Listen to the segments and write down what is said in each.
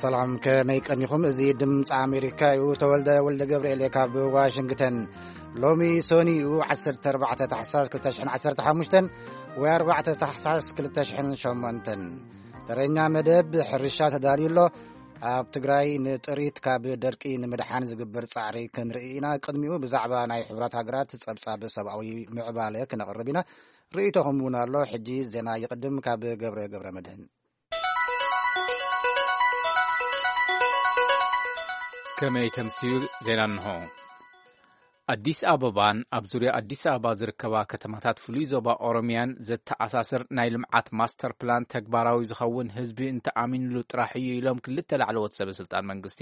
ሰላም፣ ከመይ ቀኒኹም? እዚ ድምፂ ኣሜሪካ እዩ። ተወልደ ወልደ ገብርኤል እየ ካብ ዋሽንግተን። ሎሚ ሶኒ እዩ፣ ዓሰርተ ኣርባዕተ ታሕሳስ ክልተ ሽሕን ዓሰርተ ሓሙሽተን ወይ ኣርባዕተ ታሕሳስ ክልተ ሽሕን ሸሞንተን። ተረኛ መደብ ሕርሻ ተዳልዩ ኣሎ። ኣብ ትግራይ ንጥሪት ካብ ደርቂ ንምድሓን ዝግበር ጻዕሪ ክንርኢ ኢና። ቅድሚኡ ብዛዕባ ናይ ሕቡራት ሃገራት ጸብጻብ ሰብኣዊ ምዕባለ ክነቕርብ ኢና። ርእይቶኹም እውን ኣሎ። ሕጂ ዜና ይቕድም ካብ ገብረ ገብረ መድህን። ከመይ ተምስዩ? ዜና እንሆ። ኣዲስ ኣበባን ኣብ ዙርያ ኣዲስ ኣበባ ዝርከባ ከተማታት ፍሉይ ዞባ ኦሮሚያን ዘተኣሳስር ናይ ልምዓት ማስተር ፕላን ተግባራዊ ዝኸውን ህዝቢ እንተኣሚንሉ ጥራሕ እዩ ኢሎም ክልተ ላዕለዎት ሰበ ስልጣን መንግስቲ።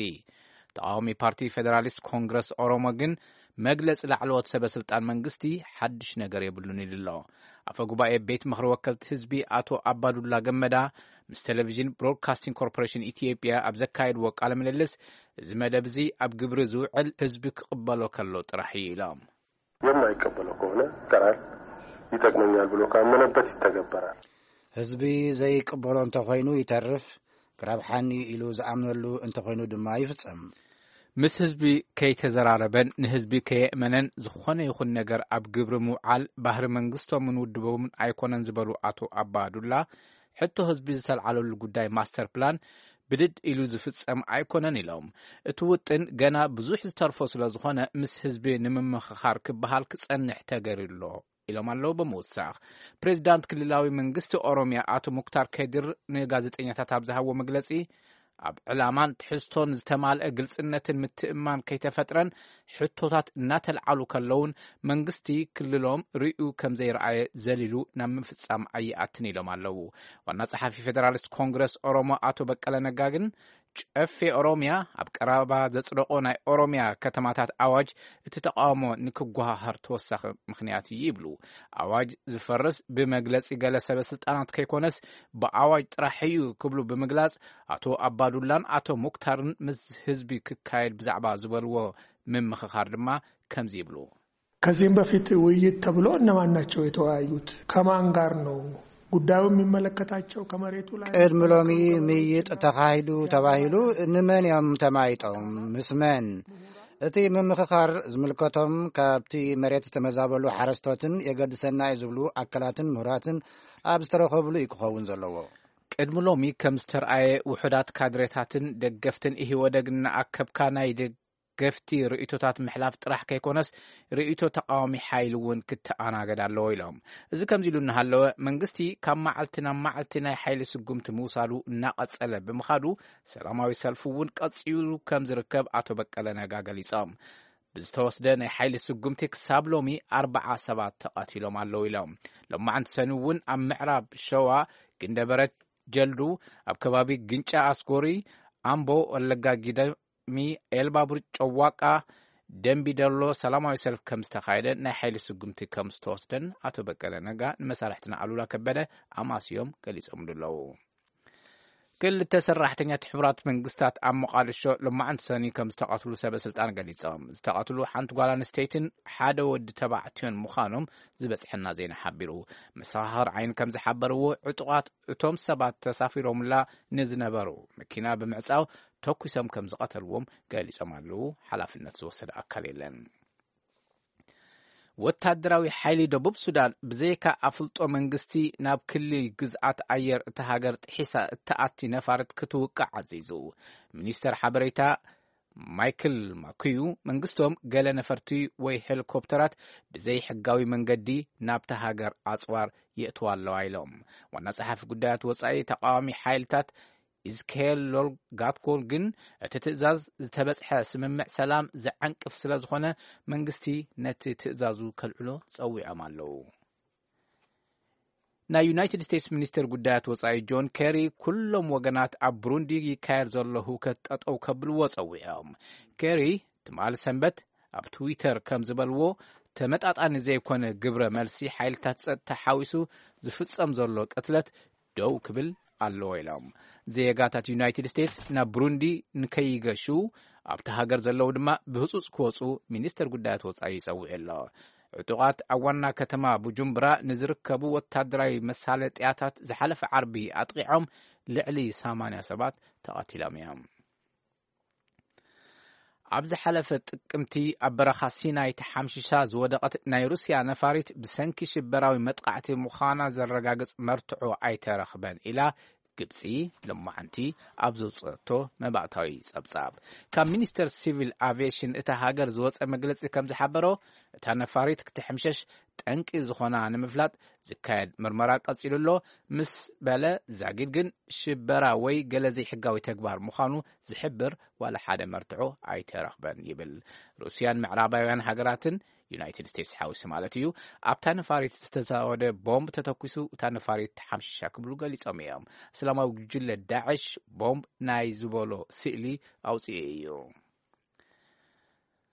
ተቃዋሚ ፓርቲ ፌደራሊስት ኮንግረስ ኦሮሞ ግን መግለጺ ላዕለዎት ሰበ ስልጣን መንግስቲ ሓድሽ ነገር የብሉን ኢሉ ኣሎ። ኣፈ ጉባኤ ቤት ምኽሪ ወከልቲ ህዝቢ ኣቶ ኣባዱላ ገመዳ ምስ ቴሌቪዥን ብሮድካስቲንግ ኮርፖሬሽን ኢትዮጵያ ኣብ ዘካየድዎ ቃለ ምልልስ፣ እዚ መደብ እዚ ኣብ ግብሪ ዝውዕል ህዝቢ ክቕበሎ ከሎ ጥራሕ እዩ ኢሎም። የማይቀበለው ከሆነ ይቀራል፣ ይጠቅመኛል ብሎ ካመነበት ይተገበራል። ህዝቢ ዘይቅበሎ እንተኾይኑ ይተርፍ፣ ክረብሓኒ ኢሉ ዝኣምነሉ እንተኾይኑ ድማ ይፍጸም። ምስ ህዝቢ ከይተዘራረበን ንህዝቢ ከየእመነን ዝኾነ ይኹን ነገር ኣብ ግብሪ ምውዓል ባህሪ መንግስቶምን ውድቦምን ኣይኮነን ዝበሉ ኣቶ ኣባዱላ፣ ሕቶ ህዝቢ ዝተልዓለሉ ጉዳይ ማስተር ፕላን ብድድ ኢሉ ዝፍጸም ኣይኮነን ኢሎም። እቲ ውጥን ገና ብዙሕ ዝተርፎ ስለ ዝኾነ ምስ ህዝቢ ንምምኽኻር ክበሃል ክጸንሕ ተገይሩ ኣሎ ኢሎም ኣለዉ። ብምውሳኽ፣ ፕሬዚዳንት ክልላዊ መንግስቲ ኦሮሚያ ኣቶ ሙክታር ከድር ንጋዜጠኛታት ኣብ ዝሃብዎ መግለጺ፣ ኣብ ዕላማን ትሕዝቶን ዝተማልአ ግልጽነትን ምትእምማን ከይተፈጥረን ሕቶታት እናተልዓሉ ከለውን መንግስቲ ክልሎም ርእዩ ከም ዘይረኣየ ዘሊሉ ናብ ምፍጻም ኣይኣትን ኢሎም ኣለዉ። ዋና ጸሓፊ ፌደራሊስት ኮንግረስ ኦሮሞ ኣቶ በቀለ ነጋ ግን ጨፌ ኦሮሚያ ኣብ ቀረባ ዘጽደቆ ናይ ኦሮሚያ ከተማታት ኣዋጅ እቲ ተቃውሞ ንክጓሃሃር ተወሳኺ ምኽንያት እዩ ይብሉ። ኣዋጅ ዝፈርስ ብመግለጺ ገለ ሰበ ስልጣናት ከይኮነስ ብኣዋጅ ጥራሕ እዩ ክብሉ ብምግላጽ፣ ኣቶ ኣባዱላን ኣቶ ሙክታርን ምስ ህዝቢ ክካየድ ብዛዕባ ዝበልዎ ምምኽኻር ድማ ከምዚ ይብሉ። ከዚህም በፊት ውይይት ተብሎ እነማን ናቸው የተወያዩት? ከማን ጋር ነው ጉዳዩ የሚመለከታቸው? ከመሬቱ ላይ ቅድሚ ሎሚ ምይጥ ተኻሂዱ ተባሂሉ ንመን እዮም ተማይጦም? ምስ መን? እቲ ምምኽኻር ዝምልከቶም ካብቲ መሬት ዝተመዛበሉ ሓረስቶትን የገድሰና እዩ ዝብሉ ኣካላትን ምሁራትን ኣብ ዝተረኸብሉ እዩ ክኸውን ዘለዎ። ቅድሚ ሎሚ ከም ዝተርኣየ ውሑዳት ካድሬታትን ደገፍትን ኢህወደግ እናኣከብካ ናይ ደገፍቲ ርእይቶታት ምሕላፍ ጥራሕ ከይኮነስ ርእይቶ ተቃዋሚ ሓይሊ እውን ክተኣናገድ ኣለዎ ኢሎም። እዚ ከምዚ ኢሉ እናሃለወ መንግስቲ ካብ መዓልቲ ናብ መዓልቲ ናይ ሓይሊ ስጉምቲ ምውሳዱ እናቐጸለ ብምኻዱ ሰላማዊ ሰልፊ እውን ቀጺሉ ከም ዝርከብ ኣቶ በቀለ ነጋ ገሊጾም። ብዝተወስደ ናይ ሓይሊ ስጉምቲ ክሳብ ሎሚ ኣርባዓ ሰባት ተቐቲሎም ኣለዉ ኢሎም። ሎማዓንቲ ሰኒ እውን ኣብ ምዕራብ ሸዋ ግንደበረት ጀልዱ፣ ኣብ ከባቢ ግንጫ ኣስጎሪ፣ ኣምቦ፣ ወለጋ ጊደሚ፣ ኤልባቡር፣ ጨዋቃ፣ ደንቢ ደሎ ሰላማዊ ሰልፊ ከም ዝተኻየደ ናይ ሓይሊ ስጉምቲ ከም ዝተወስደን ኣቶ በቀለ ነጋ ንመሳርሕትና ኣሉላ ከበደ ኣማስዮም ገሊጾምሉ ኣለዉ። ክልተ ሰራሕተኛት ሕቡራት መንግስታት ኣብ ሞቃዲሾ ሎማዓንቲ ሰኒ ከም ዝተቐትሉ ሰበ ስልጣን ገሊጾም። ዝተቐትሉ ሓንቲ ጓል ኣንስተይትን ሓደ ወዲ ተባዕትዮን ምዃኖም ዝበጽሐና ዜና ሓቢሩ። መሰኻኽር ዓይኒ ከም ዝሓበርዎ፣ ዕጡቓት እቶም ሰባት ተሳፊሮምላ ንዝነበሩ መኪና ብምዕጻው ተኩሶም ከም ዝቐተልዎም ገሊጾም ኣለዉ። ሓላፍነት ዝወሰደ ኣካል የለን። ወታደራዊ ሓይሊ ደቡብ ሱዳን ብዘይካ ኣፍልጦ መንግስቲ ናብ ክሊ ግዝኣት ኣየር እታ ሃገር ጥሒሳ እትኣቲ ነፋሪት ክትውቃዕ ኣዚዙ። ሚኒስተር ሓበሬታ ማይክል ማኩዩ፣ መንግስቶም ገለ ነፈርቲ ወይ ሄሊኮፕተራት ብዘይሕጋዊ መንገዲ ናብታ ሃገር ኣጽዋር የእትዋ ኣለዋ ኢሎም። ዋና ጸሓፊ ጉዳያት ወጻኢ ተቃዋሚ ሓይልታት ኢዝክሄል ሎልጋትኮል ግን እቲ ትእዛዝ ዝተበጽሐ ስምምዕ ሰላም ዝዓንቅፍ ስለ ዝኾነ መንግስቲ ነቲ ትእዛዙ ከልዕሎ ጸዊዖም ኣለዉ። ናይ ዩናይትድ ስቴትስ ሚኒስትር ጉዳያት ወጻኢ ጆን ኬሪ ኩሎም ወገናት ኣብ ብሩንዲ ይካየድ ዘሎ ህውከት ጠጠው ከብልዎ ጸዊዖም። ኬሪ ትማሊ ሰንበት ኣብ ትዊተር ከም ዝበልዎ፣ ተመጣጣኒ ዘይኮነ ግብረ መልሲ ሓይልታት ጸጥታ ሓዊሱ ዝፍጸም ዘሎ ቅትለት ደው ክብል ኣለዎ ኢሎም። ዜጋታት ዩናይትድ ስቴትስ ናብ ብሩንዲ ንከይገሹ ኣብቲ ሃገር ዘለዉ ድማ ብህጹጽ ክወጹ ሚኒስተር ጉዳያት ወጻኢ ይጸውዕ ኣሎ። ዕጡቓት ኣብ ዋና ከተማ ቡጁምብራ ንዝርከቡ ወታደራዊ መሳለጥያታት ዝሓለፈ ዓርቢ ኣጥቒዖም ልዕሊ ሰማንያ ሰባት ተቐቲሎም እዮም። ኣብ ዝሓለፈ ጥቅምቲ ኣብ በረኻ ሲናይ ተሓምሺሻ ዝወደቐት ናይ ሩስያ ነፋሪት ብሰንኪ ሽበራዊ መጥቃዕቲ ምዃና ዘረጋግጽ መርትዖ ኣይተረኽበን ኢላ ግብጺ ሎማዓንቲ ኣብ ዘውጽአቶ መባእታዊ ጸብጻብ። ካብ ሚኒስተር ሲቪል ኣቪየሽን እታ ሃገር ዝወጸ መግለጺ ከም ዝሓበሮ፣ እታ ነፋሪት ክትሕምሸሽ ጠንቂ ዝኾና ንምፍላጥ ዝካየድ ምርመራ ቀጺሉ ኣሎ ምስ በለ፣ ዛጊድ ግን ሽበራ ወይ ገለ ዘይሕጋዊ ተግባር ምዃኑ ዝሕብር ዋላ ሓደ መርትዖ ኣይተረኽበን ይብል። ሩስያን ምዕራባውያን ሃገራትን፣ ዩናይትድ ስቴትስ ሓዊሱ ማለት እዩ፣ ኣብታ ነፋሪት ዝተዛወደ ቦምብ ተተኩሱ እታ ነፋሪት ተሓምሺሻ ክብሉ ገሊጾም እዮም። እስላማዊ ጉጅለ ዳዕሽ ቦምብ ናይ ዝበሎ ስእሊ ኣውጽኡ እዩ።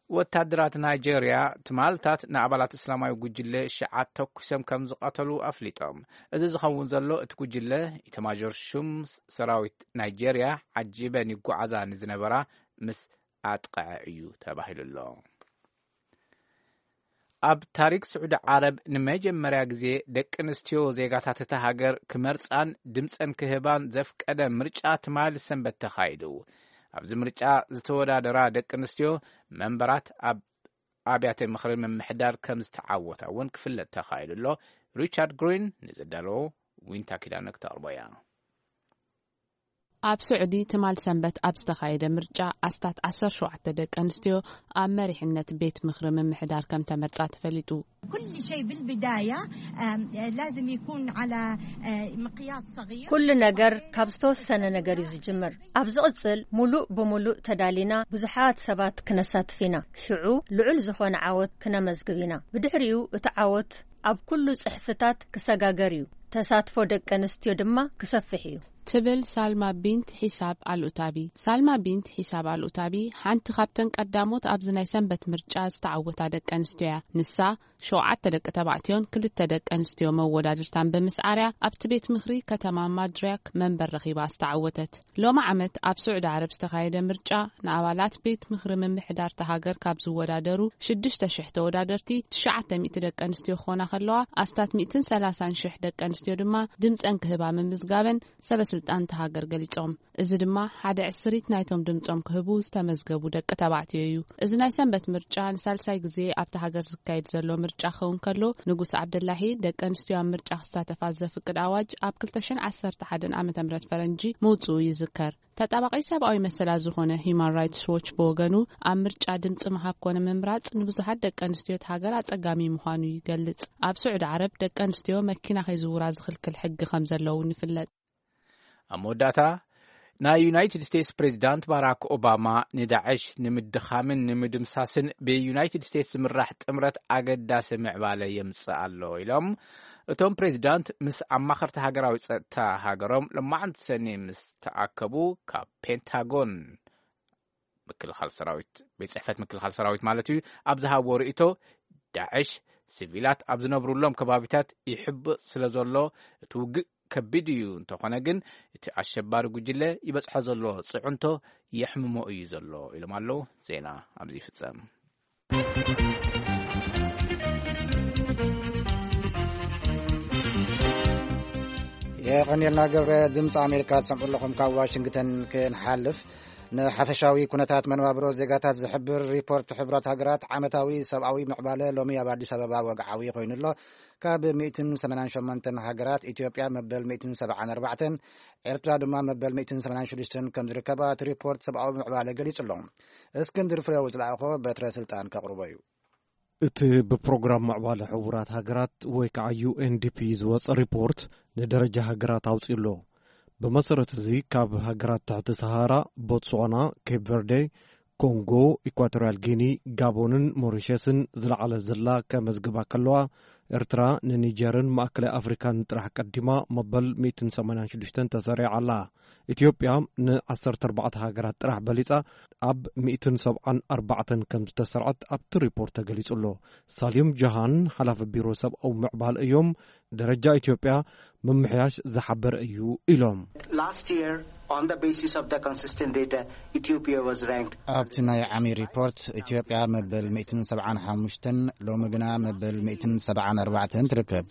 ወታደራት ናይጄርያ ትማልታት ንኣባላት እስላማዊ ጉጅለ ሽዓት ተኩሶም ከም ዝቐተሉ ኣፍሊጦም። እዚ ዝኸውን ዘሎ እቲ ጉጅለ ኢተማዦር ሹም ሰራዊት ናይጄርያ ዓጂበን ይጓዓዛ ንዝነበራ ምስ ኣጥቅዐ እዩ ተባሂሉ ኣሎ። ኣብ ታሪክ ስዑዲ ዓረብ ንመጀመርያ ግዜ ደቂ ኣንስትዮ ዜጋታት እታ ሃገር ክመርጻን ድምጸን ክህባን ዘፍቀደ ምርጫ ትማሊ ሰንበት ተኻይዱ። ኣብዚ ምርጫ ዝተወዳደራ ደቂ ኣንስትዮ መንበራት ኣብ ኣብያተ ምኽሪ ምምሕዳር ከም ዝተዓወታ እውን ክፍለጥ ተኻይዱ ኣሎ። ሪቻርድ ግሪን ንዘዳለዎ ዊንታ ኪዳነ ክተቕርቦ እያ። ኣብ ስዑዲ ትማል ሰንበት ኣብ ዝተኻየደ ምርጫ ኣስታት ዓሰርተ ሸውዓተ ደቂ ኣንስትዮ ኣብ መሪሕነት ቤት ምኽሪ ምምሕዳር ከም ተመርጻ ተፈሊጡ። كل شيء بالبداية آم، لازم يكون على آه، مقياس صغير. ኩሉ ነገር ካብ ዝተወሰነ ነገር እዩ ዝጅምር። ኣብ ዝቕጽል ሙሉእ ብሙሉእ ተዳሊና ብዙሓት ሰባት ክነሳትፍ ኢና። ሽዑ ልዑል ዝኾነ ዓወት ክነመዝግብ ኢና። ብድሕሪኡ እቲ ዓወት ኣብ ኩሉ ጽሕፍታት ክሰጋገር እዩ። ተሳትፎ ደቂ ኣንስትዮ ድማ ክሰፍሕ እዩ። ትብል ሳልማ ቢንት ሒሳብ ኣልኡታቢ። ሳልማ ቢንት ሒሳብ ኣልኡታቢ ሓንቲ ካብተን ቀዳሞት ኣብዚ ናይ ሰንበት ምርጫ ዝተዓወታ ደቂ ኣንስትዮ እያ። ንሳ ሸውዓተ ደቂ ተባዕትዮን ክልተ ደቂ ኣንስትዮ መወዳድርታን ብምስዓርያ ኣብቲ ቤት ምኽሪ ከተማ ማድሪያክ መንበር ረኺባ ዝተዓወተት። ሎሚ ዓመት ኣብ ስዑዲ ዓረብ ዝተኻየደ ምርጫ ንኣባላት ቤት ምኽሪ ምምሕዳር እታ ሃገር ካብ ዝወዳደሩ ሽዱሽተ ሽሕ ተወዳደርቲ ትሽዓተ ሚእቲ ደቂ ኣንስትዮ ክኾና ከለዋ ኣስታት ሚእትን ሰላሳን ሽሕ ደቂ ኣንስትዮ ድማ ድምፀን ክህባ ምምዝጋበን ሰበ ስልጣን እታ ሃገር ገሊጾም። እዚ ድማ ሓደ ዕስሪት ናይቶም ድምጾም ክህቡ ዝተመዝገቡ ደቂ ተባዕትዮ እዩ። እዚ ናይ ሰንበት ምርጫ ንሳልሳይ ግዜ ኣብታ ሃገር ዝካየድ ዘሎ ምርጫ ክኸውን ከሎ፣ ንጉስ ዓብደላሂ ደቂ ኣንስትዮ ኣብ ምርጫ ክሳተፋ ዘፍቅድ ኣዋጅ ኣብ ክልተ ሽሕን ዓሰርተ ሓደን ዓመተ ምህረት ፈረንጂ ምውጽኡ ይዝከር። ተጣባቂ ሰብኣዊ መሰላት ዝኾነ ሂዩማን ራይትስ ዎች ብወገኑ፣ ኣብ ምርጫ ድምጺ ምሃብ ኮነ ምምራጽ ንብዙሓት ደቂ ኣንስትዮ እቲ ሃገር ኣጸጋሚ ምዃኑ ይገልጽ። ኣብ ስዑዲ ዓረብ ደቂ ኣንስትዮ መኪና ከይዝውራ ዝኽልክል ሕጊ ከም ዘለውን ይፍለጥ። ኣብ መወዳእታ፣ ናይ ዩናይትድ ስቴትስ ፕሬዚዳንት ባራክ ኦባማ ንዳዕሽ ንምድኻምን ንምድምሳስን ብዩናይትድ ስቴትስ ዝምራሕ ጥምረት ኣገዳሲ ምዕባለ የምጽእ ኣሎ ኢሎም። እቶም ፕሬዚዳንት ምስ ኣማኸርቲ ሃገራዊ ጸጥታ ሃገሮም ሎማዕንቲ ሰኒ ምስ ተኣከቡ፣ ካብ ፔንታጎን ምክልኻል ሰራዊት፣ ቤት ጽሕፈት ምክልኻል ሰራዊት ማለት እዩ፣ ኣብ ዝሃብዎ ርእይቶ፣ ዳዕሽ ሲቪላት ኣብ ዝነብሩሎም ከባቢታት ይሕብእ ስለ ዘሎ፣ እቲ ውግእ ከቢድ እዩ፣ እንተኾነ ግን እቲ ኣሸባሪ ጉጅለ ይበጽሖ ዘሎ ጽዕንቶ የሕምሞ እዩ ዘሎ ኢሎም ኣለዉ። ዜና ኣብዚ ይፍጸም። የቐንየልና ገብረ። ድምፂ ኣሜሪካ ትሰምዑ ኣለኹም። ካብ ዋሽንግተን ክንሓልፍ፣ ንሓፈሻዊ ኩነታት መነባብሮ ዜጋታት ዝሕብር ሪፖርት ሕቡራት ሃገራት ዓመታዊ ሰብኣዊ ምዕባለ ሎሚ ኣብ ኣዲስ ኣበባ ወግዓዊ ኮይኑ ኣሎ። ካብ ሚእትን ሰማንያን ሸሞንተን ሃገራት ኢትዮጵያ መበል ሚእትን ሰብዓን ኣርባዕተን፣ ኤርትራ ድማ መበል ሚእትን ሰማንያን ሽዱሽተን ከም ዝርከባ እቲ ሪፖርት ሰብኣዊ ምዕባለ ገሊጹ ኣሎ። እስክንድር ፍሬው ዝለኣኾ በትረ ስልጣን ከቕርቦ እዩ። እቲ ብፕሮግራም ምዕባለ ሕቡራት ሃገራት ወይ ከዓ ዩ ኤን ዲ ፒ ዝወፀ ሪፖርት ንደረጃ ሃገራት ኣውፂኡ ኣሎ። ብመሰረት እዚ ካብ ሃገራት ትሕቲ ሰሃራ ቦትስዋና፣ ኬፕ ቨርዴ፣ ኮንጎ፣ ኢኳቶርያል ጊኒ፣ ጋቦንን ሞሪሸስን ዝለዓለ ዝላ ከመዝግባ ከለዋ፣ ኤርትራ ንኒጀርን ማእከላይ ኣፍሪካን ጥራሕ ቀዲማ መበል ሚእትን ሰማንያን ሽዱሽተን ተሰሪዓ ኣላ። ኢትዮጵያ ን ዓሰርተ ኣርባዕተ ሃገራት ጥራሕ በሊጻ ኣብ ሚእትን ሰብዓን ኣርባዕተን ከም ዝተሰርዐት ኣብቲ ሪፖርት ተገሊጹ ኣሎ። ሳልዩም ጀሃን፣ ሓላፊ ቢሮ ሰብኣዊ ምዕባለ እዮም፣ ደረጃ ኢትዮጵያ ምምሕያሽ ዝሓበረ እዩ ኢሎም። Last year, On the basis of the consistent data, Ethiopia was ranked ኣብቲ ናይ ዓሚ ሪፖርት ኢትዮጵያ መበል ሚእትን ሰብዓን ሓሙሽተን፣ ሎሚ ግና መበል ሚእትን ሰብዓን ኣርባዕተን ትርከብ።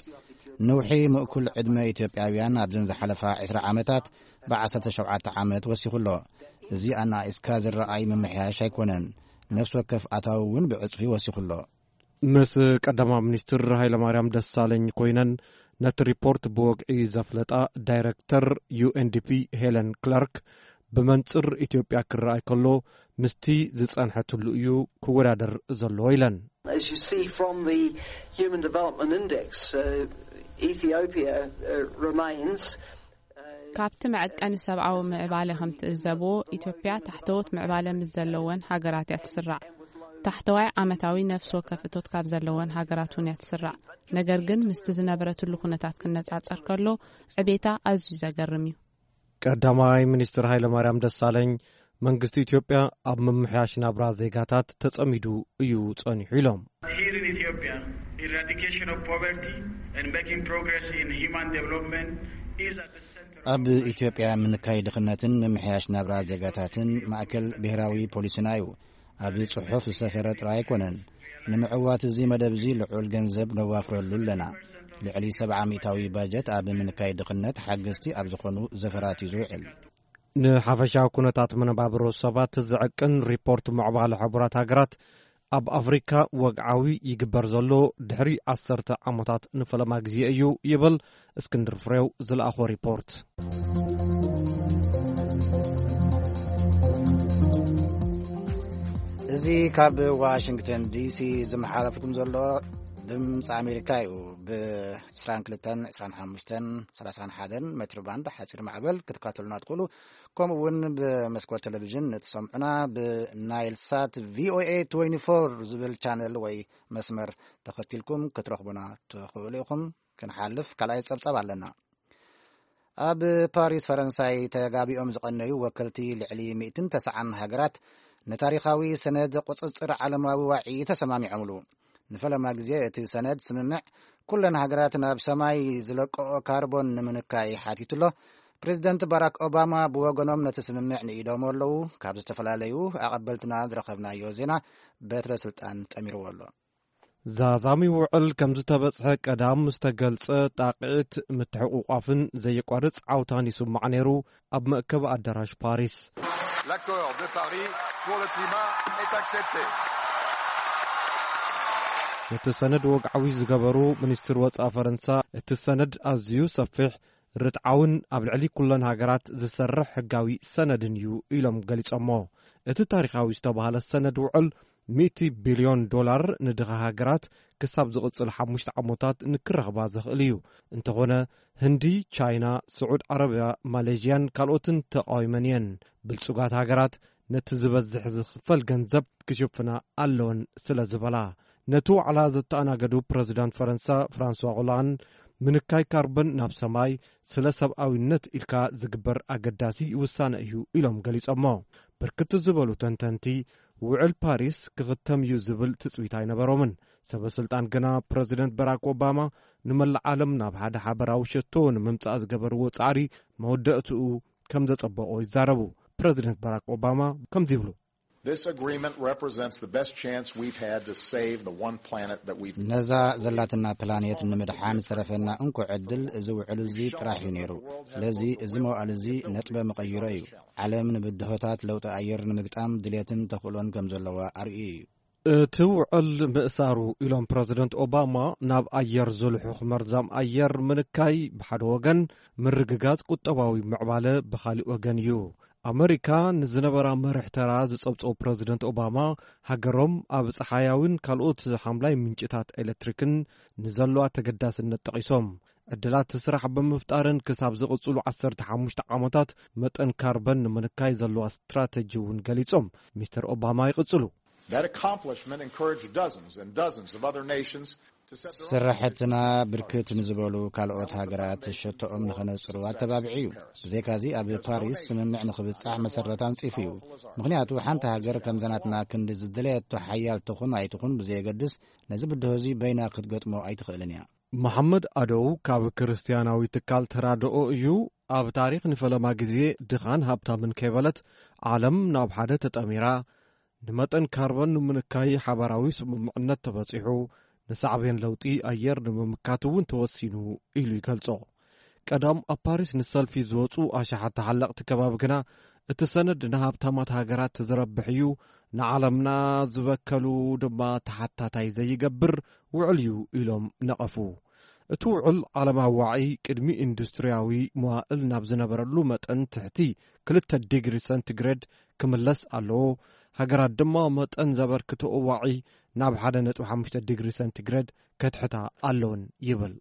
ንውሒ ምእኩል ዕድመ ኢትዮጵያውያን ኣብዘን ዝሓለፋ ዕስራ ዓመታት ብዓሰርተ ሸውዓተ ዓመት ወሲኹ ኣሎ። እዚ ኣናኢስካ ዝረኣይ ምምሕያሽ ኣይኮነን። ነፍሲ ወከፍ ኣታዊ እውን ብዕጽፊ ወሲኹ ኣሎ። ምስ ቀዳማይ ሚኒስትር ሃይለማርያም ደሳለኝ ኮይነን ነቲ ሪፖርት ብወግዒ ዘፍለጣ ዳይረክተር ዩ ኤን ዲ ፒ ሄለን ክላርክ፣ ብመንጽር ኢትዮጵያ ክረኣይ ከሎ ምስቲ ዝጸንሐትሉ እዩ ክወዳደር ዘለዎ ኢለን። As you see from the Human Development Index, uh, Ethiopia uh, remains uh, ካብቲ መዐቀኒ ሰብኣዊ ምዕባለ ከም ትእዘብዎ፣ ኢትዮጵያ ታሕተዎት ምዕባለ ምስ ዘለወን ሃገራት እያ ትስራዕ። ታሕተዋይ ዓመታዊ ነፍሲ ወከፍ እቶት ካብ ዘለወን ሃገራት እውን እያ ትስራዕ። ነገር ግን ምስቲ ዝነበረትሉ ኩነታት ክነጻጸር ከሎ፣ ዕቤታ ኣዝዩ ዘገርም እዩ። ቀዳማይ ሚኒስትር ሃይለማርያም ደሳለኝ፣ መንግስቲ ኢትዮጵያ ኣብ ምምሕያሽ ናብራ ዜጋታት ተጸሚዱ እዩ ጸኒሑ ኢሎም። Here in Ethiopia, eradication of poverty and making progress in human development is at the center of ኣብ ኢትዮጵያ ምንካይ ድኽነትን ምምሕያሽ ናብራ ዜጋታትን ማእከል ብሔራዊ ፖሊስና እዩ። ኣብዚ ጽሑፍ ዝሰፈረ ጥራይ ኣይኮነን። ንምዕዋት እዚ መደብ እዚ ልዑል ገንዘብ ነዋፍረሉ ኣለና። ልዕሊ ሰብዓ ሚእታዊ ባጀት ኣብ ምንካይ ድኽነት ሓገዝቲ ኣብ ዝኾኑ ዘፈራት እዩ ዝውዕል። ንሓፈሻዊ ኩነታት መነባብሮ ሰባት ዝዕቅን ሪፖርት ምዕባለ ሕቡራት ሃገራት ኣብ ኣፍሪካ ወግዓዊ ይግበር ዘሎ ድሕሪ ዓሰርተ ዓመታት ንፈለማ ግዜ እዩ ይብል እስክንድር ፍሬው ዝለኣኾ ሪፖርት። እዚ ካብ ዋሽንግተን ዲሲ ዝመሓለፍኩም ዘሎ ድምፂ ኣሜሪካ እዩ። ብ22፣ 25፣ 31 ሜትር ባንድ ሓፂር ማዕበል ክትካተሉና ትኽእሉ። ከምኡ እውን ብመስኮት ቴሌቪዥን ንትሰምዑና ብናይል ሳት ቪኦኤ ትዌንቲ ፎር ዝብል ቻነል ወይ መስመር ተኸቲልኩም ክትረኽቡና ትኽእሉ ኢኹም። ክንሓልፍ ካልኣይ ጸብጻብ ኣለና። ኣብ ፓሪስ ፈረንሳይ ተጋቢኦም ዝቐነዩ ወከልቲ ልዕሊ ሚእትን ተስዓን ሃገራት ንታሪኻዊ ሰነድ ቁጽጽር ዓለማዊ ዋዒ ተሰማሚዖምሉ። ንፈለማ ግዜ እቲ ሰነድ ስምምዕ ኩለን ሃገራት ናብ ሰማይ ዝለቀኦ ካርቦን ንምንካይ ሓቲቱ ኣሎ። ፕሬዚደንት ባራክ ኦባማ ብወገኖም ነቲ ስምምዕ ንኢዶም ኣለዉ። ካብ ዝተፈላለዩ ኣቐበልትና ዝረኸብናዮ ዜና በትረ ስልጣን ጠሚርዎ ኣሎ። ዛዛሚ ውዕል ከም ዝተበጽሐ ቀዳም ዝተገልጸ ጣቕዒት ምትሕቑቋፍን ዘየቋርጽ ዓውታን ይስማዕ ነይሩ ኣብ መእከቢ ኣዳራሽ ፓሪስ። L'accord de Paris pour le climat est accepté. ነቲ ሰነድ ወግዓዊ ዝገበሩ ሚኒስትር ወጻኢ ፈረንሳ፣ እቲ ሰነድ ኣዝዩ ሰፊሕ፣ ርትዓውን ኣብ ልዕሊ ኩለን ሃገራት ዝሰርሕ ሕጋዊ ሰነድን እዩ ኢሎም ገሊጾሞ። እቲ ታሪኻዊ ዝተባህለ ሰነድ ውዕል ሚእቲ ቢልዮን ዶላር ንድኻ ሃገራት ክሳብ ዝቕጽል ሓሙሽተ ዓመታት ንክረኽባ ዘኽእል እዩ። እንተኾነ ህንዲ፣ ቻይና፣ ስዑድ ዓረብያ፣ ማሌዥያን ካልኦትን ተቓዊመን እየን። ብልጹጋት ሃገራት ነቲ ዝበዝሕ ዝኽፈል ገንዘብ ክሽፍና ኣለወን ስለ ዝበላ። ነቲ ዋዕላ ዘተኣናገዱ ፕረዚዳንት ፈረንሳ ፍራንስዋ ኦላንድ፣ ምንካይ ካርበን ናብ ሰማይ ስለ ሰብኣዊነት ኢልካ ዝግበር ኣገዳሲ ውሳነ እዩ ኢሎም ገሊጾሞ። ብርክት ዝበሉ ተንተንቲ፣ ውዕል ፓሪስ ክኽተም እዩ ዝብል ትጽቢት ኣይነበሮምን። ሰበ ስልጣን ግና ፕረዚደንት በራክ ኦባማ ንመላእ ዓለም ናብ ሓደ ሓበራዊ ሸቶ ንምምጻእ ዝገበርዎ ጻዕሪ መወዳእትኡ ከም ዘጸበቖ ይዛረቡ። ፕረዚደንት በራክ ኦባማ ከምዚ ይብሉ። This agreement represents the best chance we've had to save the one planet that we've ነዛ ዘላትና ፕላኔት ንምድሓን ዝተረፈና እንኮ ዕድል እዚ ውዕል እዚ ጥራሕ እዩ ነይሩ። ስለዚ እዚ መዋእል እዚ ነጥበ መቐይሮ እዩ። ዓለም ንብድሆታት ለውጢ ኣየር ንምግጣም ድሌትን ተኽእሎን ከም ዘለዋ ኣርእዩ እዩ። እቲ ውዕል ምእሳሩ ኢሎም ፕረዚደንት ኦባማ፣ ናብ ኣየር ዝልሑኽ መርዛም ኣየር ምንካይ ብሓደ ወገን፣ ምርግጋጽ ቁጠባዊ ምዕባለ ብኻሊእ ወገን እዩ። ኣመሪካ ንዝነበራ መርሕ ተራ ዝጸብጸቡ ፕረዚደንት ኦባማ፣ ሃገሮም ኣብ ጸሓያዊን ካልኦት ሓምላይ ምንጭታት ኤሌክትሪክን ንዘለዋ ተገዳስነት ጠቒሶም፣ ዕድላት ስራሕ ብምፍጣርን ክሳብ ዝቕጽሉ ዓሰርተ ሓሙሽተ ዓመታት መጠን ካርበን ንምንካይ ዘለዋ ስትራተጂ እውን ገሊጾም። ሚስተር ኦባማ ይቕጽሉ። That accomplishment encouraged dozens and dozens of other nations to set their own ስራሕትና ብርክት ንዝበሉ ካልኦት ሃገራት ሸቶኦም ንኸነጽሩ ኣተባብዒ እዩ። ብዘይካዚ ኣብ ፓሪስ ስምምዕ ንኽብጻሕ መሰረት ኣንጺፉ እዩ። ምኽንያቱ ሓንቲ ሃገር ከምዛ ናትና ክንዲ ዝደለየቶ ሓያል ትኹን ኣይትኹን ብዘየገድስ ነዚ ብድሆ እዚ በይና ክትገጥሞ ኣይትኽእልን እያ። መሓመድ ኣደው ካብ ክርስትያናዊ ትካል ተራድኦ እዩ። ኣብ ታሪኽ ንፈለማ ግዜ ድኻን ሃብታምን ከይበለት ዓለም ናብ ሓደ ተጠሚራ፣ ንመጠን ካርቦን ንምንካይ ሓባራዊ ስምምዕነት ተበጺሑ፣ ንሳዕቤን ለውጢ ኣየር ንምምካት እውን ተወሲኑ ኢሉ ይገልጾ። ቀዳም ኣብ ፓሪስ ንሰልፊ ዝወጹ ኣሽሓት ተሓለቕቲ ከባቢ ግና፣ እቲ ሰነድ ንሃብታማት ሃገራት ዝረብሕ እዩ፣ ንዓለምና ዝበከሉ ድማ ተሓታታይ ዘይገብር ውዕል እዩ ኢሎም ነቐፉ። እቲ ውዕል ዓለማዊ ዋዒ ቅድሚ ኢንዱስትርያዊ መዋእል ናብ ዝነበረሉ መጠን ትሕቲ ክልተ ዲግሪ ሰንቲግሬድ ክምለስ ኣለዎ። ሃገራት ድማ መጠን ዘበርክትኦ ዋዒ ናብ ሓደ ነጥቢ ሓሙሽተ ዲግሪ ሰንቲግሬድ ከትሕታ ኣለውን ይብል።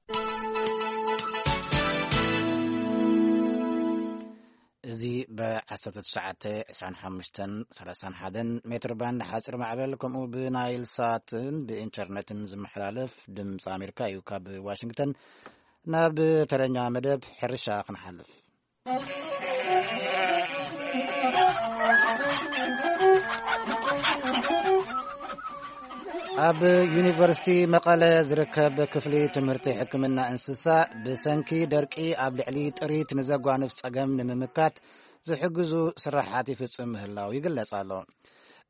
እዚ ብ1925 31 ሜትር ባንድ ሓፂር ማዕበል ከምኡ ብናይል ሳትን ብኢንተርነትን ዝመሓላለፍ ድምፂ ኣሜሪካ እዩ። ካብ ዋሽንግተን ናብ ተረኛ መደብ ሕርሻ ክንሓልፍ። ኣብ ዩኒቨርሲቲ መቐለ ዝርከብ ክፍሊ ትምህርቲ ሕክምና እንስሳ ብሰንኪ ደርቂ ኣብ ልዕሊ ጥሪት ንዘጓንፍ ጸገም ንምምካት ዝሕግዙ ስራሓት ይፍጽም ምህላው ይግለጽ ኣሎ።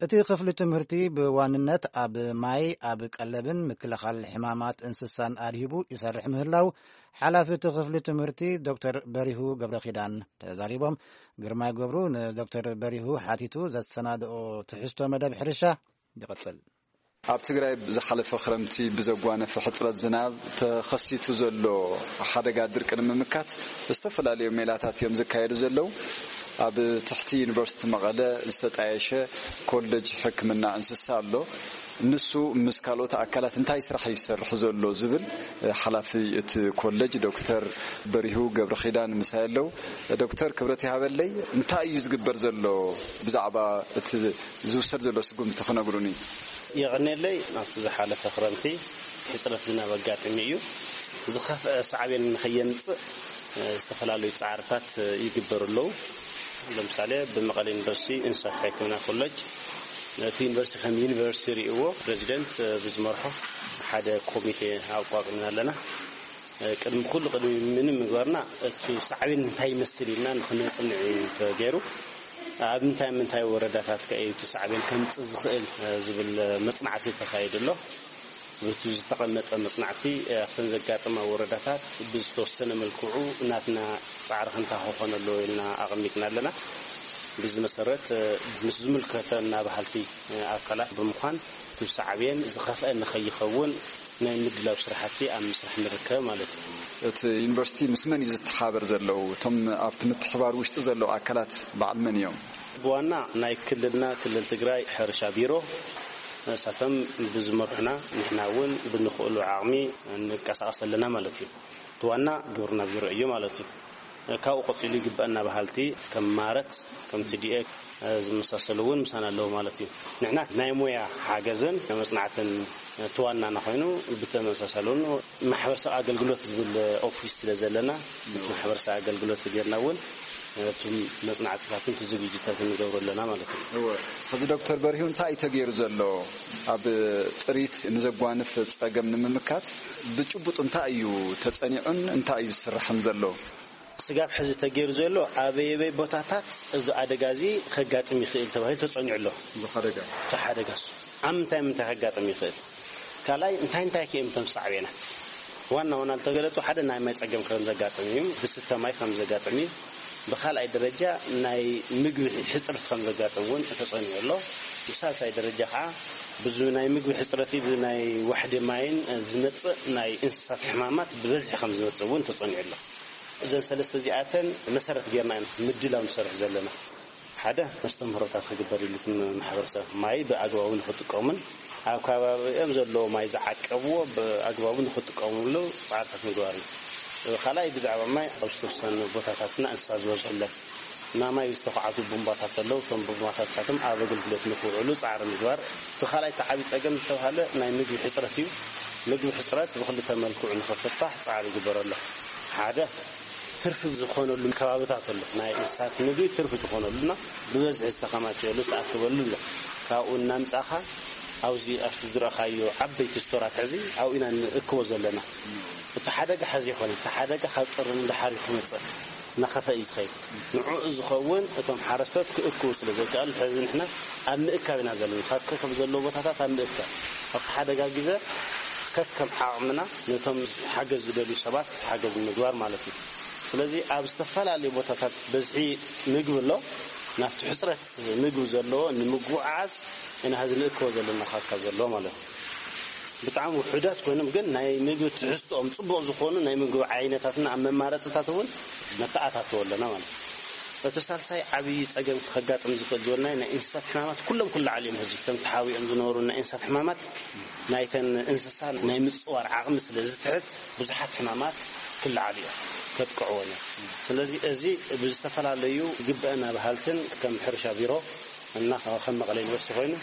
እቲ ክፍሊ ትምህርቲ ብዋንነት ኣብ ማይ፣ ኣብ ቀለብን ምክልኻል ሕማማት እንስሳን ኣድሂቡ ይሰርሕ ምህላው ሓላፊ እቲ ክፍሊ ትምህርቲ ዶክተር በሪሁ ገብረኺዳን ተዛሪቦም። ግርማይ ገብሩ ንዶክተር በሪሁ ሓቲቱ ዘሰናድኦ ትሕዝቶ መደብ ሕርሻ ይቕጽል። ኣብ ትግራይ ዝሓለፈ ክረምቲ ብዘጓነፈ ሕጽረት ዝናብ ተኸሲቱ ዘሎ ሓደጋ ድርቂ ንምምካት ዝተፈላለዩ ሜላታት እዮም ዝካየዱ ዘለዉ። ኣብ ትሕቲ ዩኒቨርሲቲ መቐለ ዝተጣየሸ ኮሌጅ ሕክምና እንስሳ ኣሎ። ንሱ ምስ ካልኦት ኣካላት እንታይ ስራሕ እዩ ዝሰርሕ ዘሎ ዝብል ሓላፊ እቲ ኮሌጅ ዶክተር በሪሁ ገብረኺዳን ምሳይ ኣለዉ። ዶክተር ክብረት ይሃበለይ፣ እንታይ እዩ ዝግበር ዘሎ ብዛዕባ እቲ ዝውሰድ ዘሎ ስጉምቲ ክነግሩኒ? የቐኔለይ፣ ኣብቲ ዝሓለፈ ክረምቲ ሕጽረት ዝናብ ኣጋጢሙ እዩ። ዝኸፍአ ሳዕቤን ንኸየምጽእ፣ እ፣ ዝተፈላለዩ ጻዕርታት፣ እ፣ ይግበሩ ኣለዉ። ለምሳሌ፣ ብመቐለ ዩኒቨርሲቲ እንስሳት ሕክምና ኮሌጅ፣ እቲ ዩኒቨርሲቲ ከም ዩኒቨርሲቲ ርእይዎ፣ ፕሬዚደንት፣ እ፣ ብዝመርሖ ሓደ ኮሚቴ ኣቋቁምና ኣለና። ቅድሚ ኩሉ፣ ቅድሚ ምንም ምግባርና፣ እቲ ሳዕቤን እንታይ ይመስል ኢልና ንክነጽንዕ እዩ ተገይሩ። ኣብ ምንታይ ምንታይ ወረዳታት ከ እዩ እቲ ሳዕቤን ከምጽእ ዝኽእል ዝብል መጽናዕቲ ተኻይዱ ኣሎ። ብቲ ዝተቐመጠ መጽናዕቲ ኣብተን ዘጋጠማ ወረዳታት ብዝተወሰነ መልክዑ ናትና ጻዕሪ ክንታ ክኾነሉ ኢልና ኣቐሚጥና ኣለና። ብዚ መሰረት ምስ ዝምልከተና በሃልቲ ኣካላት ብምዃን እቲ ሳዕቤን ዝኸፍአ ንኸይኸውን ናይ ምድላው ስራሕቲ ኣብ ምስራሕ ንርከብ ማለት እዩ። እቲ ዩኒቨርሲቲ ምስ መን እዩ ዝተሓበር ዘለዉ? እቶም ኣብቲ ምትሕባር ውሽጢ ዘለዉ ኣካላት በዓል መን እዮም? ብዋና ናይ ክልልና ክልል ትግራይ ሕርሻ ቢሮ፣ ንሳቶም ብዝመርሑና ንሕና እውን ብንኽእሉ ዓቕሚ ንንቀሳቐስ ኣለና ማለት እዩ። እቲ ዋና ግብርና ቢሮ እዩ ማለት እዩ። ካብኡ ቀፂሉ ይግበአና በሃልቲ ከም ማረት፣ ከም ቲ ዲ ኤ ዝመሳሰሉ እውን ምሳና ኣለዉ ማለት እዩ። ንሕና ናይ ሞያ ሓገዝን መጽናዕትን እቲ ዋናና ኮይኑ፣ ብተመሳሳሊ እውን ማሕበረሰብ ኣገልግሎት ዝብል ኦፊስ ስለ ዘለና፣ ማሕበረሰብ ኣገልግሎት ጌርና እውን እቲ መጽናዕትታትን እቲ ዝግጅታትን ንገብሮ ኣለና ማለት እዩ። እወ። ሕዚ ዶክተር በሪሁ እንታይ እዩ ተገይሩ ዘሎ? ኣብ ጥሪት ንዘጓንፍ ጸገም ንምምካት ብጭቡጥ እንታይ እዩ ተጸኒዑን እንታይ እዩ ዝስራሕን ዘሎ? ስጋብ ሕዚ ተገይሩ ዘሎ ኣበየበይ ቦታታት እዚ ኣደጋ እዚ ከጋጥም ይኽእል ተባሂሉ ተጸኒዑ ኣሎ። እዚ ሓደጋ? እቲ ሓደጋ እሱ ኣብ ምንታይ ምንታይ ከጋጥም ይኽእል? ካልኣይ እንታይ እንታይ ከ እዮም እቶም ሳዕቤናት? ዋና ዋና ዝተገለጹ ሓደ ናይ ማይ ጸገም ከም ዘጋጥም እዩ፣ ዝስተ ማይ ከም ዘጋጥም እዩ። ብኻልኣይ ደረጃ ናይ ምግቢ ሕጽረት ከም ዘጋጥም እውን ተጸኒዑ ኣሎ። ብሳልሳይ ደረጃ ከዓ ብዚ ናይ ምግቢ ሕጽረት፣ ብዚ ናይ ዋሕዲ ማይን ዝመጽእ ናይ እንስሳት ሕማማት ብበዝሒ ከም ዝመጽእ እውን ተጸኒዑ ኣሎ። እዘን ሰለስተ እዚኣተን መሰረት ጌርና ኢና ምድላው ንሰርሕ ዘለና። ሓደ መስተምህሮታት ክግበር ኢሉ እቲ ማሕበረሰብ ማይ ብኣግባቡ ንክጥቀሙን ኣብ ከባቢኦም ዘለዎ ማይ ዝዓቀብዎ ብኣግባቡ ንክጥቀሙሉ ፃዕርታት ምግባር እዩ። ካልኣይ ብዛዕባ ማይ ኣብ ዝተወሰኑ ቦታታትና እንስሳ ዝበዝሑለን እና ማይ ዝተኳዓቱ ቡምባታት ኣለዉ። እቶም ቡምባታት ንሳቶም ኣብ ኣገልግሎት ንክውዕሉ ፃዕሪ ምግባር። እቲ ካልኣይ እቲ ዓብዪ ፀገም ዝተባሃለ ናይ ምግቢ ሕፅረት እዩ። ምግቢ ሕፅረት ብክልተ መልክዑ ንክፍታሕ ፃዕሪ ይግበር ኣሎ። ሓደ ትርፊ ዝኾነሉ ከባብታት ኣሎ። ናይ እንስሳት ምግቢ ትርፊ ዝኾነሉና ብበዝሒ ዝተኸማቸየሉ ዝተኣከበሉ ኣሎ። ካብኡ እናምፃእኻ ኣብዚ ኣብቲ ዝረኣኻዮ ዓበይቲ ስቶራት ሕዚ ኣብኡ ኢና ንእክቦ ዘለና። እቲ ሓደጋ ሕዚ ይኾነ፣ እቲ ሓደጋ ካብ ጥሪ ንደሓር እዩ ክመጽእ፣ እናኸፈ እዩ ዝኸይድ። ንዕኡ ዝኸውን እቶም ሓረስቶት ክእክቡ ስለ ዘይከኣሉ፣ ሕዚ ንሕና ኣብ ምእካብ ኢና ዘለና። ካብ ከከም ዘለዎ ቦታታት ኣብ ምእካብ፣ ኣብቲ ሓደጋ ግዜ ከከም ዓቕምና ነቶም ሓገዝ ዝደልዩ ሰባት ሓገዝ ንምግባር ማለት እዩ። ስለዚ ኣብ ዝተፈላለዩ ቦታታት በዝሒ ምግቢ ኣሎ። ናብቲ ሕፅረት ምግቢ ዘለዎ ንምጉዓዝ ኢና ሕዚ ንእክቦ ዘለና፣ ካብ ካብ ዘለዎ ማለት እዩ። ብጣዕሚ ውሑዳት ኮይኖም ግን ናይ ምግቢ ትሕዝትኦም ፅቡቕ ዝኾኑ ናይ ምግቢ ዓይነታትና ኣብ መማረፅታት እውን ነተኣታትዎ ኣለና ማለት እዩ። እቲ ሳልሳይ ዓብዪ ፀገም ከጋጥም ዝኽእል ዝበልናዮ ናይ እንስሳት ሕማማት ኩሎም ክለዓሉ እዮም። ሕዚ ከም ተሓቢኦም ዝነበሩ ናይ እንስሳት ሕማማት ናይተን እንስሳ ናይ ምፅዋር ዓቕሚ ስለ ዝትሕት ብዙሓት ሕማማት ክለዓሉ እዮም፣ ከጥቅዕዎን እዮም። ስለዚ እዚ ብዝተፈላለዩ ግበአና በሃልትን ከም ሕርሻ ቢሮ እና ከም መቐለ ዩኒቨርሲቲ ኮይኑ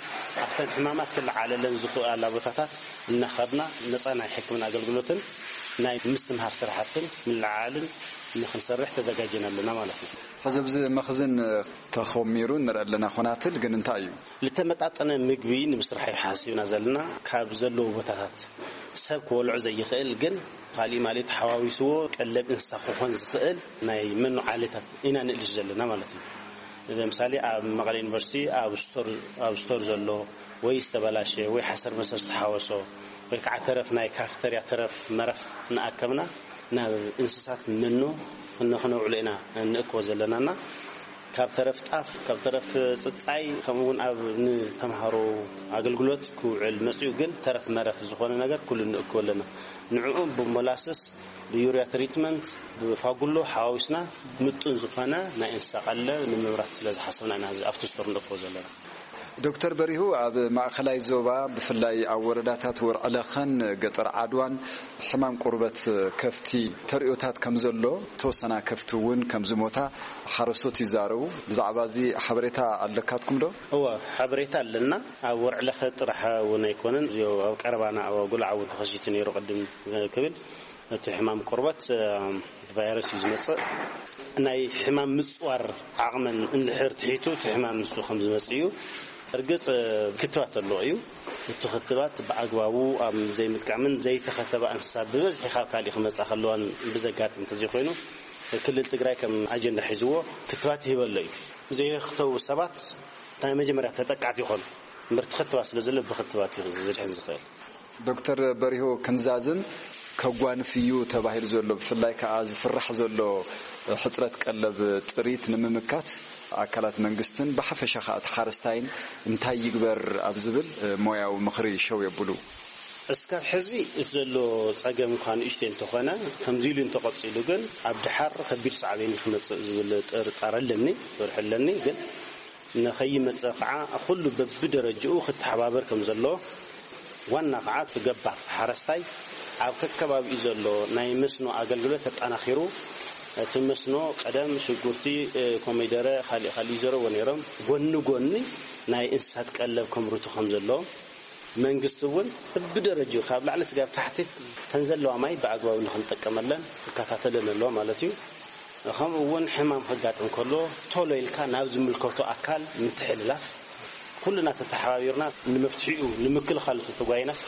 ኣብተን ሕማማት ክለዓለለን ዝኽእላ ቦታታት እናኸድና ነፃ ናይ ሕክምና ኣገልግሎትን ናይ ምስትምሃር ስራሕትን ምልዓልን ንክንሰርሕ ተዘጋጅና ኣለና ማለት እዩ። ሕዚ ኣብዚ መኽዝን ተኾሚሩ ንርኢ ኣለና። ኮናትል ግን እንታይ እዩ? ዝተመጣጠነ ምግቢ ንምስራሕ እዩ ሓሲብና ዘለና። ካብ ዘለዎ ቦታታት ሰብ ክበልዖ ዘይኽእል ግን ካሊእ ማሊእ ተሓዋዊስዎ ቀለብ እንስሳ ክኾን ዝኽእል ናይ መኖ ዓሌታት ኢና ንእልሽ ዘለና ማለት እዩ። ለምሳሌ ኣብ መቐለ ዩኒቨርሲቲ ኣብ ስቶር፣ ኣብ ስቶር ዘሎ ወይ ዝተበላሸ ወይ ሓሰር መሰር ዝተሓወሶ ወይ ከዓ ተረፍ ናይ ካፍተርያ ተረፍ መረፍ እናኣከብና ናብ እንስሳት መኖ ክነ-፣ ክነውዕሎ ኢና እንእክቦ ዘለናና። ካብ ተረፍ ጣፍ፣ ካብ ተረፍ ጽጻይ፣ ከምኡ እውን ኣብ ንተምሃሮ ኣገልግሎት ክውዕል መጺኡ ግን ተረፍ መረፍ ዝኾነ ነገር ኩሉ ንእክቦ ኣለና። ንዕኡ ብሞላስስ፣ ብዩርያ ትሪትመንት፣ ብፋጉሎ ሓዋዊስና ምጡን ዝኾነ ናይ እንስሳ ቀለብ ንምምራት ስለ ዝሓሰብና ኢና እዚ ኣብቲ ስቶር ንእክቦ ዘለና። ዶክተር በሪሁ፣ ኣብ ማእኸላይ ዞባ ብፍላይ ኣብ ወረዳታት ወርዕለኸን ገጠር ዓድዋን ሕማም ቁርበት ከፍቲ ተርእዮታት ከም ዘሎ፣ ተወሰና ከፍቲ እውን ከም ዝሞታ ሓረስቶት ይዛረቡ። ብዛዕባ እዚ ሓበሬታ ኣለካትኩም ዶ? እወ፣ ሓበሬታ ኣለና። ኣብ ወርዕለኸ ጥራሕ እውን ኣይኮነን፣ እዚኦ ኣብ ቀረባና ኣብ ኣጉላዕ እውን ተኸሲቱ ነይሩ ቅድም ክብል እቲ ሕማም ቆርበት፣ እ፣ እቲ ቫይረስ እዩ ዝመጽእ። ናይ ሕማም ምጽዋር ዓቕመን እንድሕር ትሒቱ እቲ ሕማም ንሱ ከም ዝመጽእ እዩ። እርግጽ፣ እ፣ ክትባት ኣለዎ እዩ። እቲ ክትባት ብኣግባቡ ኣብ ዘይምጥቃምን ዘይተኸተባ እንስሳ ብበዝሒ ካብ ካሊእ ክመጻ ከለዋን ብዘጋጥም እንተዘይኮይኑ፣ ክልል ትግራይ ከም ኣጀንዳ ሒዝዎ ክትባት ይህበሎ እዩ። ዘይክተቡ ሰባት ናይ መጀመርያ ተጠቃዕቲ ይኾኑ። እምበር እቲ ክትባት ስለ ዘሎ ብክትባት እዩ ዝድሕን ዝኽእል። ዶክተር በሪሁ፣ ክንዛዝም ከጓንፍ እዩ ተባሂሉ ዘሎ፣ ብፍላይ ከኣ ዝፍራሕ ዘሎ ሕጽረት ቀለብ ጥሪት ንምምካት ኣካላት መንግስትን ብሓፈሻ ከኣ እቲ ሓረስታይን እንታይ ይግበር ኣብ ዝብል ሞያዊ ምኽሪ ሸው የብሉ። እስካብ ሕዚ እቲ ዘሎ ጸገም እኳ ንእሽተይ እንተኾነ፣ ከምዚ ኢሉ እንተቐጺሉ ግን ኣብ ድሓር ከቢድ ሳዕቤን እዩ ክመጽእ ዝብል ጥርጣረ ኣለኒ፣ ፍርሒ ኣለኒ። ግን ንኸይመጽእ ኸዓ ኩሉ በብደረጅኡ ክተሓባበር ከም ዘለዎ፣ ዋና ኸዓ እቲ ገባር ሓረስታይ ኣብ ከከባቢኡ ዘሎ ናይ መስኖ ኣገልግሎት ተጠናኺሩ፣ እቲ መስኖ ቀደም ሽጉርቲ፣ እ፣ ኮሚደረ፣ ካሊእ ካሊእ ይዘረዎ ነይሮም። ጎኒ ጎኒ ናይ እንስሳት ቀለብ ከምርቱ ከም ዘለዎ፣ መንግስቲ እውን በብደረጅኡ ካብ ላዕሊ ስጋብ ታሕቲ ተን ዘለዋ ማይ ብኣግባቡ ንክንጠቀመለን ክከታተለን ኣለዎ ማለት እዩ። ከምኡ እውን ሕማም ከጋጥም ከሎ ቶሎ ኢልካ ናብ ዝምልከቶ ኣካል ምትሕልላፍ፣ ኩልና ተተሓባቢርና ንመፍትሒኡ ንምክልኻሉ ተተጓይናስ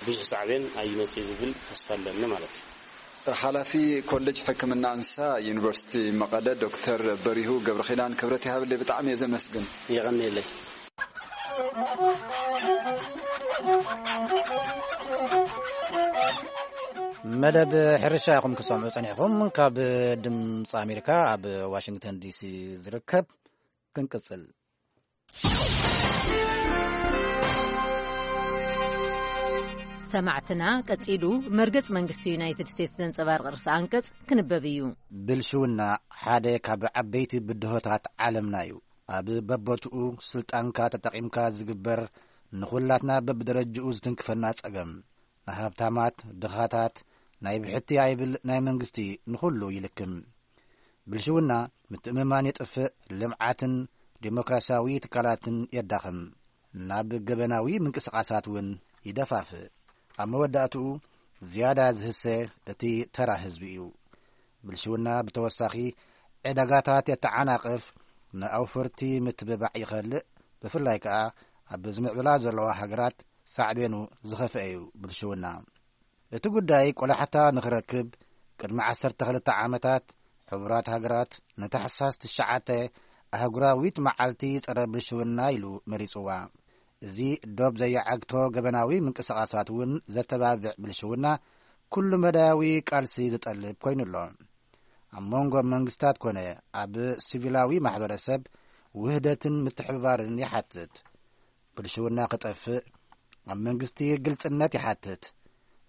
ብዙሕ ሳዕቤን ኣይመጽእ ዝብል ተስፋ ኣለኒ ማለት እዩ። ሓላፊ ኮሌጅ ሕክምና እንስሳ ዩኒቨርሲቲ መቐለ ዶክተር በሪሁ ገብረኺዳን፣ ክብረት ይሃብለይ፣ ብጣዕሚ እየ ዘመስግን። የቐንየለይ። መደብ ሕርሻ ኢኹም ክሰምዑ ጸኒሕኹም። ካብ ድምፂ ኣሜሪካ ኣብ ዋሽንግተን ዲሲ ዝርከብ። ክንቅጽል። ሰማዕትና፣ ቀጺሉ መርገጽ መንግስቲ ዩናይትድ ስቴትስ ዘንጸባርቕ ርእሰ ኣንቀጽ ክንበብ እዩ። ብልሽውና ሓደ ካብ ዓበይቲ ብድሆታት ዓለምና እዩ። ኣብ በቦትኡ ስልጣንካ ተጠቒምካ ዝግበር፣ ንኹላትና በብደረጅኡ ዝትንክፈና ጸገም፣ ንሃብታማት፣ ድኻታት፣ ናይ ብሕቲ ኣይብል ናይ መንግስቲ፣ ንኹሉ ይልክም። ብልሽውና ምትእምማን የጥፍእ፣ ልምዓትን ዲሞክራሲያዊ ትካላትን የዳኽም፣ ናብ ገበናዊ ምንቅስቓሳት እውን ይደፋፍእ። ኣብ መወዳእትኡ ዝያዳ ዝህሰ እቲ ተራ ህዝቢ እዩ። ብልሽውና ብተወሳኺ ዕዳጋታት የተዓናቕፍ፣ ንኣውፈርቲ ምትብባዕ ይኸልእ፣ ብፍላይ ከኣ ኣብ ዝምዕብላ ዘለዋ ሃገራት ሳዕቤኑ ዝኸፍአ እዩ ብልሽውና። እቲ ጉዳይ ቆላሕታ ንኽረክብ ቅድሚ ዓሰርተ ክልተ ዓመታት ሕቡራት ሃገራት ንታሕሳስ ትሽዓተ ኣህጉራዊት መዓልቲ ጸረ ብልሽውና ኢሉ መሪጽዋ። እዚ ዶብ ዘየዓግቶ ገበናዊ ምንቅስቓሳት እውን ዘተባብዕ ብልሽውና ኩሉ መዳያዊ ቃልሲ ዝጠልብ ኮይኑ ኣሎ። ኣብ መንጎ መንግስታት ኮነ ኣብ ሲቪላዊ ማሕበረሰብ ውህደትን ምትሕብባርን ይሓትት። ብልሽውና ክጠፍእ ኣብ መንግስቲ ግልጽነት ይሓትት።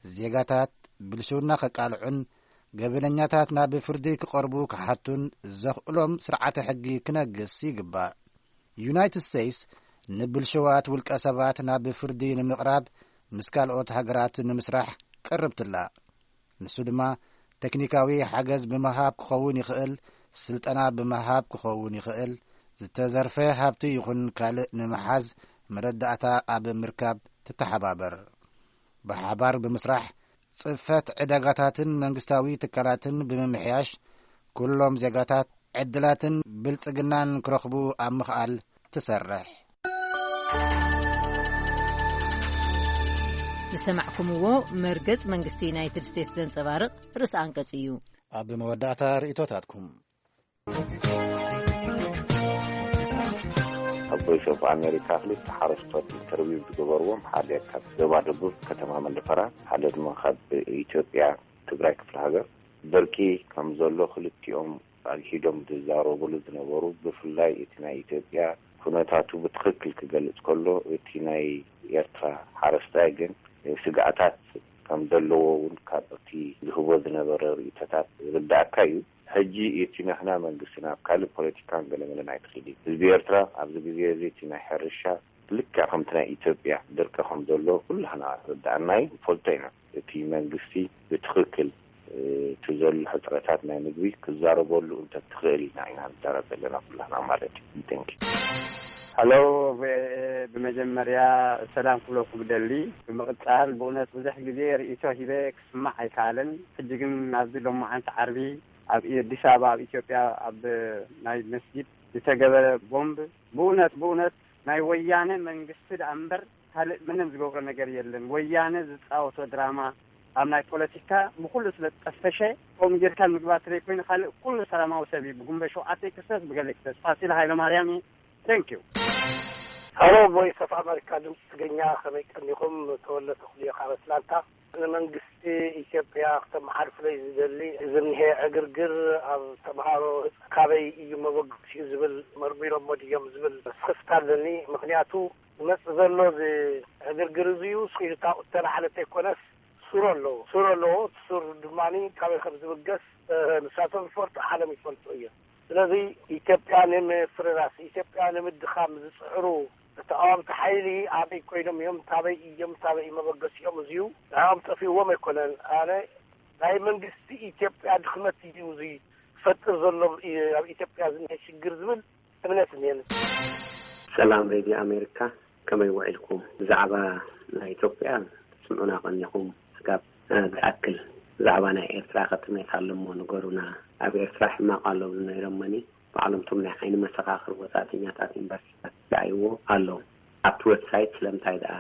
ዜጋታት ብልሽውና ከቃልዑን ገበነኛታት ናብ ፍርዲ ክቐርቡ ክሓቱን ዘኽእሎም ስርዓተ ሕጊ ክነግስ ይግባእ። ዩናይትድ ስቴትስ ንብልሽዋት ውልቀ ሰባት ናብ ፍርዲ ንምቕራብ ምስ ካልኦት ሃገራት ንምስራሕ ቀርብትላ። ንሱ ድማ ቴክኒካዊ ሓገዝ ብምሃብ ክኸውን ይኽእል፣ ስልጠና ብምሃብ ክኸውን ይኽእል፣ ዝተዘርፈ ሃብቲ ይኹን ካልእ ንምሓዝ መረዳእታ ኣብ ምርካብ ትተሓባበር። ብሓባር ብምስራሕ ጽፈት ዕዳጋታትን መንግስታዊ ትካላትን ብምምሕያሽ ኩሎም ዜጋታት ዕድላትን ብልጽግናን ክረኽቡ ኣብ ምኽኣል ትሰርሕ። ዝሰማዕኩምዎ መርገጽ መንግስቲ ዩናይትድ ስቴትስ ዘንጸባርቕ ርእሲ ኣንቀጽ እዩ። ኣብ መወዳእታ ርእይቶታትኩም። ኣብ ቮይስ ኦፍ ኣሜሪካ ክልተ ሓረስቶት ኢንተርቪው ዝገበርዎም፣ ሓደ ካብ ዞባ ደቡብ ከተማ መንደፈራ፣ ሓደ ድማ ካብ ኢትዮጵያ ትግራይ ክፍለ ሃገር፣ ደርቂ ከም ዘሎ ክልቲኦም ኣግሂዶም ዝዛረቡሉ ዝነበሩ፣ ብፍላይ እቲ ናይ ኢትዮጵያ ኩነታቱ ብትኽክል ክገልጽ ከሎ፣ እቲ ናይ ኤርትራ ሓረስታይ ግን ስግኣታት ከም ዘለዎ እውን ካብ እቲ ዝህቦ ዝነበረ ርእይቶታት ዝርዳእካ እዩ። ሕጂ እቲ ናህና መንግስቲ ናብ ካልእ ፖለቲካን ገለመለን ኣይትኽእል እዩ። ህዝቢ ኤርትራ ኣብዚ ግዜ እዚ እቲ ናይ ሕርሻ ልክዕ ከምቲ ናይ ኢትዮጵያ ድርቂ ከም ዘሎ ኩላህና ርዳእና እዩ፣ ንፈልጦ ኢና። እቲ መንግስቲ ብትኽክል፣ እ፣ እቲ ዘሎ ሕፅረታት ናይ ምግቢ ክዛረበሉ እንተትኽእል ኢና፣ ኢና ንዛረብ ዘለና ኩላህና ማለት እዩ። Thank you። ሀሎ፣ ቪኦኤ፣ ብመጀመርያ ሰላም ክብለኩም ደሊ። ብምቕጻል ብእውነት ብዙሕ ግዜ ርእይቶ ሂበ ክስማዕ ኣይከኣለን። ሕጂ ግን ኣብዚ ሎማዓንቲ ዓርቢ ኣብ ኣዲስ ኣበባ ኣብ ኢትዮጵያ ኣብ ናይ መስጊድ ዝተገበረ ቦምብ ብእውነት፣ ብእውነት ናይ ወያነ መንግስቲ ደኣ እምበር ካልእ ምንም ዝገብሮ ነገር የለን። ወያነ ዝጻወቶ ድራማ ኣብ ናይ ፖለቲካ ብኩሉ ስለ ዝጠፈሸ፣ ከምኡ ጌርካ ምግባር ዘይኮይኑ ካልእ ኩሉ ሰላማዊ ሰብ እዩ። ብጉንበ ሸውዓተ ክሰስ፣ ብገለ ክሰስ። ፋሲል ሃይለማርያም እዩ። Thank you። ሀሎ፣ ቮይስ ኦፍ ኣሜሪካ ድምፂ ትግርኛ፣ ከመይ ቀኒኹም? ተወለ ተኽልዮ ካብ ኣትላንታ። ንመንግስቲ ኢትዮጵያ ክተመሓልፉ ዝደሊ፣ እዚ እኒሄ ዕግርግር ኣብ ተምሃሮ ካበይ እዩ መበገሲኡ ዝብል መርሚሮሞ ድዮም ዝብል ስኽፍታ ኣለኒ። ምኽንያቱ ዝመጽእ ዘሎ እዚ ዕግርግር እዚ እዩ ስኺሉ ታውት ተላዓለ ተይኮነስ ሱር ኣለዎ። ሱር ኣለዎ። እቲ ሱር ድማ ካበይ ከም ዝብገስ፣ እ፣ ንሳቶም ይፈልጡ፣ ዓለም ይፈልጡ እዮም። ስለዚ ኢትዮጵያ ንምፍርራስ፣ ኢትዮጵያ ንምድኻም ዝጽዕሩ ተቃወምቲ ሓይሊ ኣበይ ኮይኖም እዮም? ታበይ እዮም? ታበይ እዩ መበገሲኦም? እዚዩ ንዕኦም ጠፊእዎም ኣይኮነን። ኣነ ናይ መንግስቲ ኢትዮጵያ ድኽመት እዩ እዚ ዝፈጥር ዘሎ፣ እ፣ ኣብ ኢትዮጵያ ዝኒሀ ሽግር ዝብል እምነት እኒአኒ። ሰላም ሬድዮ ኣሜሪካ፣ ከመይ ውዒልኩም? ብዛዕባ ናይ ኢትዮጵያ ትስምዑና ቀኒኹም። ስጋብ፣ እ፣ ዝኣክል ብዛዕባ ናይ ኤርትራ ከጥሜት ኣሎ እሞ ንገሩና። ኣብ ኤርትራ ሕማቕ ኣሎ ነይሮመኒ። ባዕሎም እቶም ናይ ዓይኒ መሰኻኽር ወጻእተኛታት ዩኒቨርሲቲታት ይረኣይዎ ኣለዉ። ኣብቲ ዌብሳይት ስለምንታይ ደኣ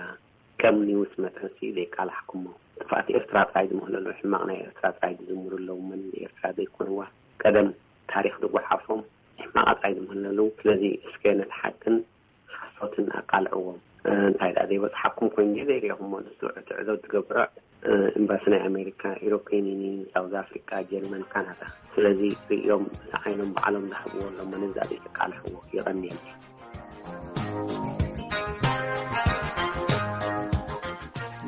ከም ኒውስ መጠንሲ ዘይቃላሕኩሞ? ጥፍኣት ኤርትራ ጥራይ ዝምህለሉ፣ ሕማቕ ናይ ኤርትራ ጥራይ ዝዝምሩ ኣለዉ። መን ንኤርትራ ዘይኮንዋ? ቀደም ታሪኽ ዝጓሓፎም ሕማቓ ጥራይ ዝምህለሉ። ስለዚ እስከ ነቲ ሓቅን ሓሶትን ኣቃልዕዎም። እ፣ እንታይ ደኣ ዘይበጽሓኩም ኮይኑ ዘይሪእኹሞ ንሱ ዕትዕዶ ትገብሮ፣ እ፣ ኤምባሲ ናይ ኣሜሪካ፣ ኢሮፕያን ዩኒየን፣ ሳውዝ ኣፍሪካ፣ ጀርመን፣ ካናዳ። ስለዚ ርእዮም፣ እቲ ዓይኖም ባዕሎም ዝሃብዎ ኣሎ መነዛሪ ተቃልሕዎ። የቐንየለይ።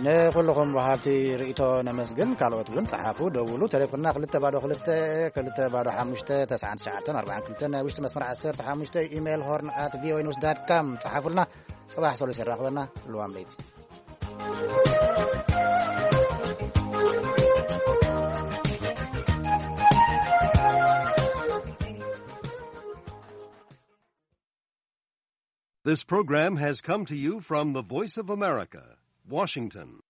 ንኹልኹም ወሃብቲ ርእይቶ ነመስግን። ካልኦት እውን ጸሓፉ፣ ደውሉ። ቴሌፎንና ክልተ ባዶ ክልተ፣ ክልተ ባዶ ሓሙሽተ፣ ተስዓን ትሽዓተን ኣርባዓን ክልተን፣ ናይ ውሽጢ መስመር ዓሰርተ ሓሙሽተ፣ ኢሜይል ሆርን ኣት ቪኦኤ ኒውስ ዳት ካም ጸሓፉልና። ጽባሕ ሰሉስ የራኽበና። ልዋም ለይቲ። This program has come to you from the Voice of America, Washington.